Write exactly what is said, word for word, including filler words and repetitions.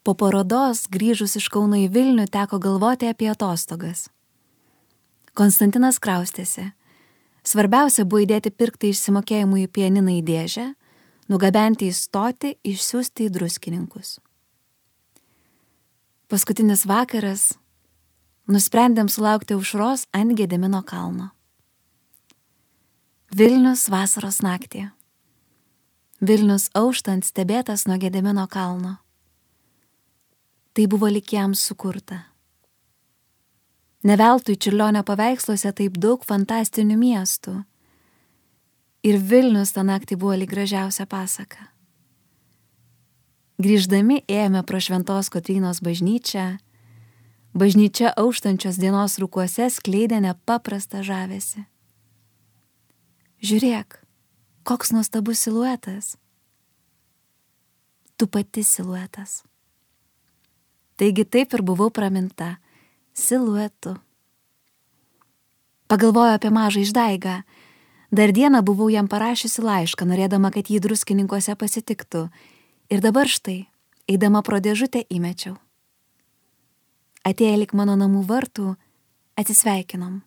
Po parodos, grįžus iš Kauno į Vilnių, teko galvoti apie atostogas. Konstantinas kraustėsi. Svarbiausia buvo įdėti pirktą išsimokėjimų į pianiną į dėžę, nugabenti į stotį, išsiųsti į Druskininkus. Paskutinis vakaras, nusprendėm sulaukti aušros ant Gedimino kalno. Vilnius vasaros naktį. Vilnius auštant stebėtas nuo Gedimino kalno. Tai buvo lyg jam sukurta. Ne veltui Čiurlionio paveiksluose taip daug fantastinių miestų. Ir Vilnius tą naktį buvo lyg gražiausia pasaka. Grįždami ėjome pro Šventos Kotrynos bažnyčią. Bažnyčia auštančios dienos rūkuose skleidė nepaprastą žavesį. Žiūrėk, koks nuostabus siluetas. Tu pati siluetas. Taigi taip ir buvau praminta siluetu. Pagalvoju apie mažą Išdaigą. Dar dieną buvau jam parašiusi laišką, norėdama, kad jį Druskininkuose pasitiktų. Ir dabar štai, eidama pro dėžutę įmečiau. Atėję lik mano namų vartų, atsisveikinom.